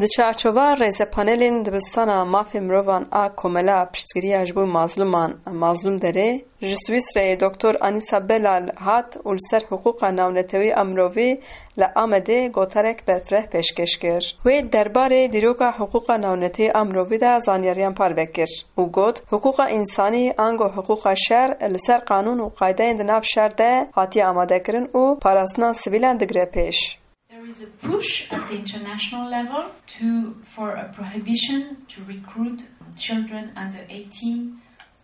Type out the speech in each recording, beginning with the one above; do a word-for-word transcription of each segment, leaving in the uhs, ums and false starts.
Di çarçova rêzepanelên dibistana mafê mirovan a Komela Piştgiriya ji bo Mazluman, Mazlûm Derê, ji Swîsreyê Doktor Anîsa Belal hat û li ser hiqûqa navnetewî a mirovî li Amedê gotarek berfireh pêşkêş kir. Wê derbarê dîroka hiqûqa navnetewî a mirovî de zanyariyan parve kir û got, hiqûqa însanî ango hiqûqa şer li ser qanûn û qaydeyên di nav şer de hatiye amadekirin û parastina sivîlan digire pêş. There is a push at the international level to, for a prohibition to recruit children under eighteen.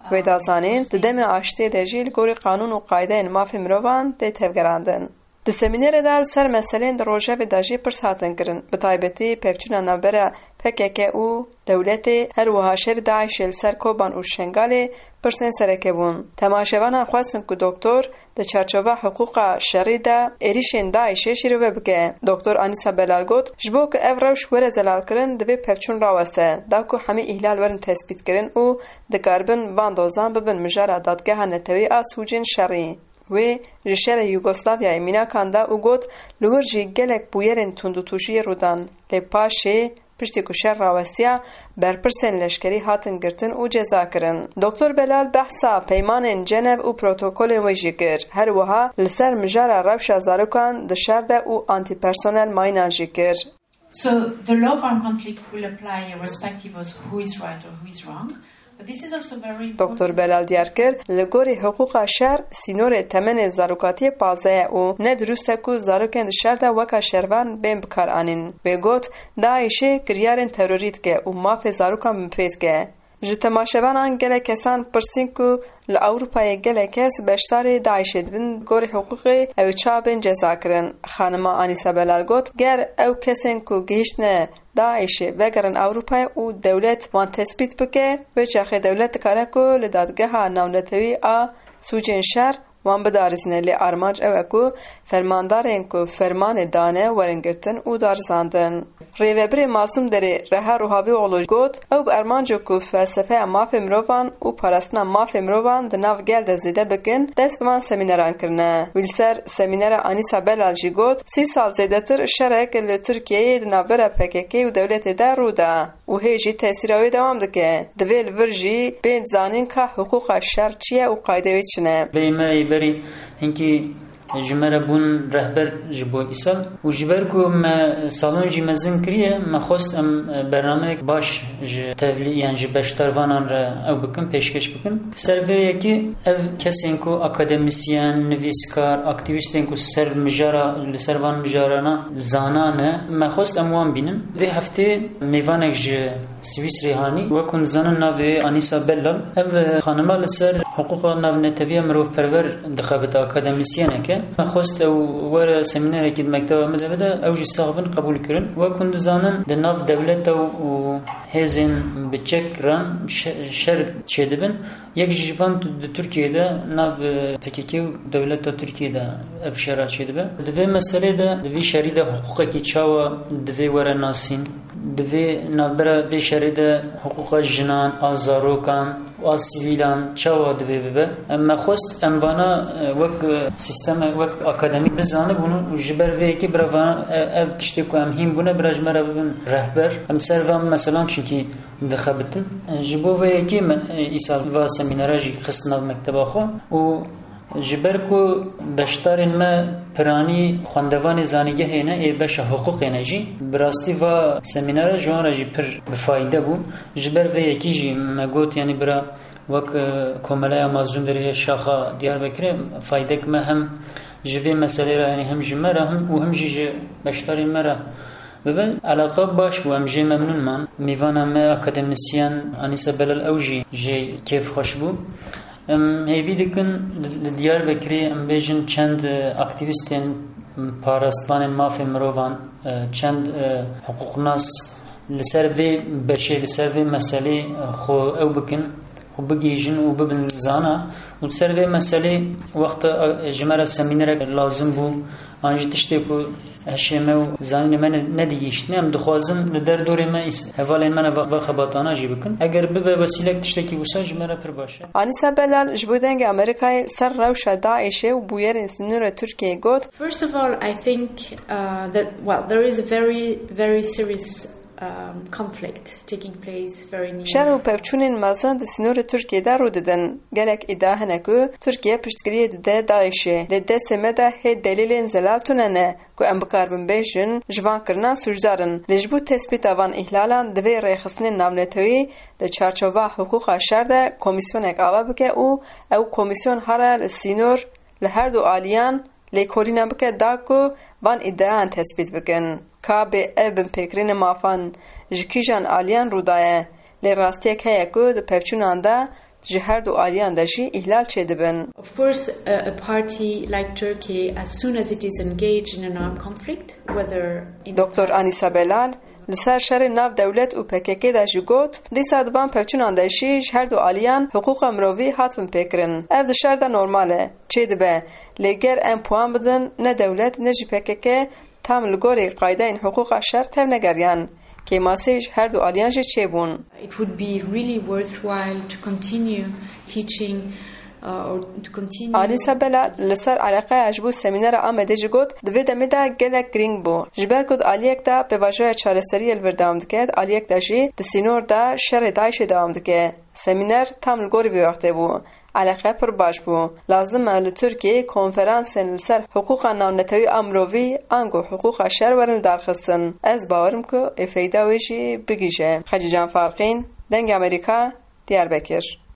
Wê da zanîn, di demê aştiyê de jî li gorî qanûn û qaydeyên mafê mirovan tê tevgerandin. Di semînerê de li ser meseleyên di rojevê de jî pirs hatin kirin, bi taybetî pevçûna navbera P K K û dewletê, her wiha şerê DAIŞê li ser Koban û Şengalê pirsên sereke bûn. Temaşevanan xwestin ku doktor di çarçova hiqûqa şerî de êrîşên DAIŞê şîrove bike. Doktor Anîsa Belal got, ji bo ku ev rewş were zelalkirin, divê pevçûn raweste, da ku hemî îhlal werin tespîtkirin û dikaribin van dozan bibin mijara Dadgeha Netewî a Sûcên Şerî. Wê ji şerê Yugoslavyayê mînakan da û got, li wir jî gelek bûyerên tundûtûjiyê rû dan, lê paşê, piştî ku şer rawestiya, berpirsên leşkerî hatin girtin û ceza kirin. Doktor Belal behsa peymanên Cenev û protokolên wê jî kir. Her wiha li ser mijara rewşa zarokan di şer de û antîpersonel mayînan jî kir. So the law armed conflict will apply irrespective of who is right or who is wrong. But this is also very important. Doktor Belal diyar kir, li gorî hiqûqa şer, sînorê temenê zarokatiyê pazdeh ye û ne dirust e ku zarokên di şer de weka şervan bên bikaranîn. Wê got, DAIŞê kiryarên terorî dike û mafê zarokan binpê dike. Ji temaşevanan gelek kesan pirsîn ku li Ewropayê gelek kes beşdarê DAIŞê dibin, gorî hiqûqê ew ê çawa bên cezakirin. Xanima Anîsa Belal got, ger ew kesên ku gihîştine DAIŞê vegerin Ewropayê û dewlet wan tespît bike, wê çaxê dewlet dikare ku li Dadgeha Navnetewî a Sûcên Şer wan bidarizîne, lê armanc ew e ku fermandarên ku fermanê dane werin girtin û darizandin. Rêvebirê Mazlûm Derê Reha Ruhavîoglu got, ew bi armanco ku felsefeya mafê mirovan û parastina mafê mirovan di nav gel de zêde bikin, dest bi van semîneran kirine. Wî li ser semînera Anîsa Belal jî got, sî sal zêdetir şerek li Tirkiyeyê di navbera P K K û dewletê de rû da û hê jî tesîra wê dewam dike. Divê li vir jî bên zanîn ka hiqûqa şer çi ye û qaydeyê wê çi ne. Bêyî me yê berî hinkî ji me re bûn rehber ji bo îsal û ji ber ku me salon jî mezin kiriye, me xwest em bernameyek baş ji tevlî, yan ji beşdarvanan re ew bikin, pêşkêş bikin. Ser vê yekê ev kesên ku akademisyen, nivîskar, aktîvîstên ku ser mijara, li ser van mijarana zana ne, me xwest em wan bînin. Vê heftê mêvanek ji Swîsrê hanî, wek hûn dizanin navê wê Anîsa Bellal. Ev xanima li ser hiqûqa navneteviya mirovperwer dixebite, akademisyenek e. Me xwest ew were semînerekî di mekteba me de bide, ew jî sax bin qebûl kirin. Wek hûn dizanin di nav dewleta û hêzên bi çek re şe-, şer çêdibin. Yek ji van di Tirkiyê de nav, e, P K K û dewleta Tirkiyê de ev şera çêdibe. Di vê meselê de, di vî şerî de hiqûqekî çawa divê were nasîn? Divê navbera vê şerê de hiqûqa jinan, a zarokan û a sivîlan çawa divê bibe? Em me xwest em vana, e, wek, e, sîsteme, wek akademî bizanibûn û ji ber vê yekê bira vana, e, ev tiştê ku em hîn bûne bira ji me re bibin rehber. Em ser van meselan çunkî dixebitin. Ji bo vê yekê me, e, îsal va semînera jî xist nav mekteba xwe û ji ber ku beşdarên me piranî xwendevanê zanîngehê ne, ê beşa hiqûqê ne jî, bi rastî va semînera ji wan re jî pir bi fayde bû. Ji ber vê yekî jî me got, yanî bira wek, e, Komeleya Mazlûm Derê Şaxa Diyarbekirê faydek me hem ji vê meselê re, yanî hem ji me re hem û hem jî ji beşdarên me re bibe. Eleqa baş bû, em jê memnûn man. Mîvana me akademisyen Anîsa Belal ew jî jê kêfxweş bû. Em hêvî dikin li, li Diyarbekirê em bêjin çend, e, aktîvîstên parastvanên mafê mirovan, e, çend, e, hiqûqnas li ser vê beşê, li ser vê meselê, e, xwe ew bikin, xwe bigihîjin û bibin zana. Û li ser vê meselê wexta, e, ji me re semînerek lazim bû, an jî tiştê ku hişê me û zanînê me ne-, nedigihîştine, em dixwazin li derdorê me îs-, hevalên me re va, va xebatana jî bikin. Eger bibe wesîlek tiştekî wisa ji me re pir baş e. Anîsa Belal ji bo Dengê Amerîkayê li ser rewşa DAIŞê û bûyerên sînorê Tirkiyeyê got, First of all, I think, uh, that, well, there is a very, very serious, um, conflict taking place very near. Şer û pevçûnên mezin di sînorê Tirkiyê de rû didin. Gelek îdia hene ku Tirkiye piştgiriyê dide DAIŞ'ê. Lê destê me de hê delîlên zelal tune ne ku em bikaribin bêjin ji van kirinan sûcdar in. Lê ji bo tespîta van îhlalan divê rêxistinên navnetewî di çarçova hiqûqa şer de komîsyonek ava bike û ew komîsyon here li sînor li her du aliyan lêkolîna bike da ku van îdiayan tespît bikin. Ka bê ev binpêkirinê mafan ji kîjan aliyan rû daye, lê rastiyek heye ku di pevçûnan de ji her du aliyan de jî îhlal çêdibin. Of course, a, a party like Turkey, as soon as it is engaged in an armed conflict, whether in Doktor Anisa Belal li ser şerê nav dewlet û P K K de jî got, dîsa di van pevçûnan de jî ji her du aliyan hiqûqa mirovî hat binpêkirin. Ev di şer de normal e, çêdibe. Lê ger em puan bidin, ne dewlet ne jî P K K tam li gorî qaydeyên hiqûqa şer tevnegeriyan. Kêmasî ji her du aliyan jî çêbûn. It would be really worthwhile to continue teaching, uh, or to continue Anisa Belal li ser eleqeya ji bo semînera Amedê jî got, di vê demê de gelek girîng bû. Ji ber ku di aliyek de pêvajoya çareseriyê li vir dewam dike, di aliyek de jî di sînor de şerê DAIŞ'ê dewam dike. Semîner tam li gorî vê wextê bû. Eleqe pir baş bû. Lazim e li Tirkiyeyê konferansên li ser hiqûqa navnetewî a mirovî ango hiqûqa şer werin lidarxistin. Ez bawerim ku ê feyda wê jî bigihîje. Xecîcan Farqîn, Dengê Amerîka, Diyarbekir.